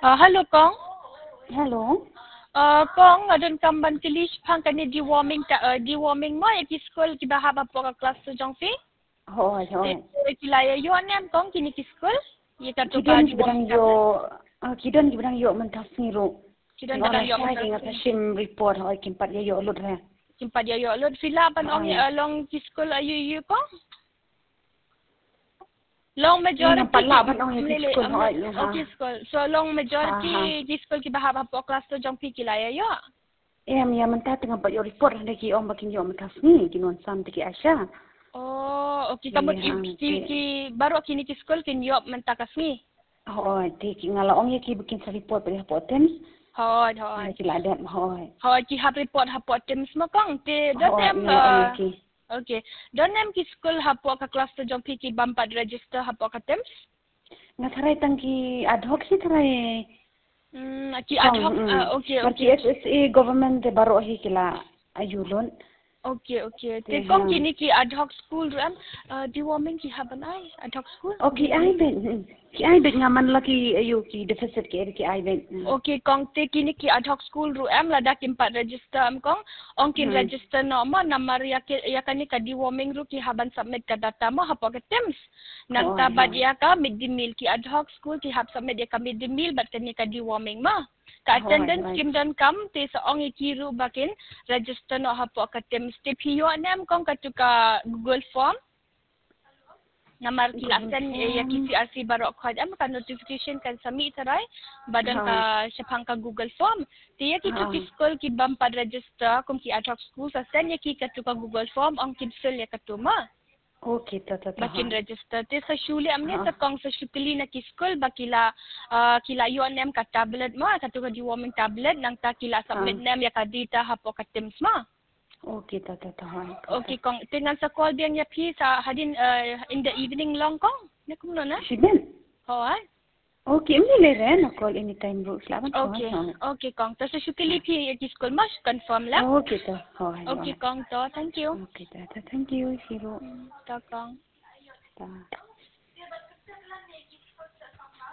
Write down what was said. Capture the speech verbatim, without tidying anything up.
Ah, hello kong. Hello. Ah, kong, nga donkam ban kylli shaphang kane deworming ta, ah, deworming mo ïa ki skul kiba hap hapoh ka cluster jong phi. Hooid, hooid. Te ki la ïa ïoh ne em kong kine ki skul? Ïa ka Ki don kiba dang ïoh, ah, ki don kiba dang ïoh mynta sngi ruh. Ki don kiba dang ïoh mynta sngi. Nga shim report, hooid, kim pat ïa ïoh lut re. Kim pat ïa ïoh lut. Phi lah ban ong ïa long ki skul aïu aïu kong? Long majority ki skul. So long majority ki skul kiba hap hapoh cluster jong phi ki la ïa ïoh. Em, ïa mynta te ngam pat ïoh report, hynrei ki ong ba kin ïoh mynta sngi, kin wan sam te ki ASHA. Oh, okay, ka mut ki baroh kine ki skul kin ïoh mynta ka sngi. Hooid, te ki, nga la ong ïa ki ba kin sa report pat hapoh TIMS. Hooid, hooid. Ki la dep, hooid. Hooid, ki hap report hapoh TIMS mo kong, te don em. Okay. Don em ki skul hapoh ka cluster jong phi ki bym pat register hapoh ka TIMS? Nga tharai tang ki ad hoc hi tharai. Hmm, ki ad hoc, ah, okay, okay. Ki HSA government te baroh hi ki la ïa lut. Okay, okay. Te kong kine ki ad hoc school ruh em, ah, deworming ki hap ban ai ad hoc school? Oh, ki ai beit. Ki ai beit, nga man la ki aïu ki deficit ki ai beit. Okay kong, te kine ki ad hoc school ruh em lada kim pat register em kong, ong kin register noh mo, namar ïa kane ka deworming ruh ki hap ban submit ka data mo hapoh ka TIMS. Nangta bad ïa ka midday meal, ki ad hoc school ki hap submit ïa ka midday meal bad kane ka deworming mo. Ka attendance kim donkam, te sa ong ïa ki ruh ba kin register noh hapoh ka TIMS. Te phi ïoh ne em kong katu ka Google form? Namar ki la send ïa ki CRC baroh khoit em, ka notification kan sa mih tharai ba don ka shaphang ka Google form. Te ïa kitu ki skul ki bym pat register kum ki ad hoc school, sa send ïa ki katu ka Google form, ong kin fill ïa katu mo. Okay, to, to, to. Ba kin register. Te sa shu leh em ne, sa kong, sa shu kylli na ki skul ba ki la, ah, ki la ïoh ne em ka tablet mo, katu ka deworming tablet, nangta ki la submit ne em ïa ka data hapoh ka TIMS mo. Okay, to, to, to. Okay kong, te ngan sa call biang ïa phi sa hadien, ah, in the evening long kong. Ne kumno na? Shibun. Hooid. Okay, ym lei re, na call anytime ruh, sla ban call. Okay kong, to sa shu kylli phi ïa ki skul mo, shu confirm la. Okay, to. Hooid. Okay kong, to, thank you. Okay, to, to, thank you, Shiro. To kong. To.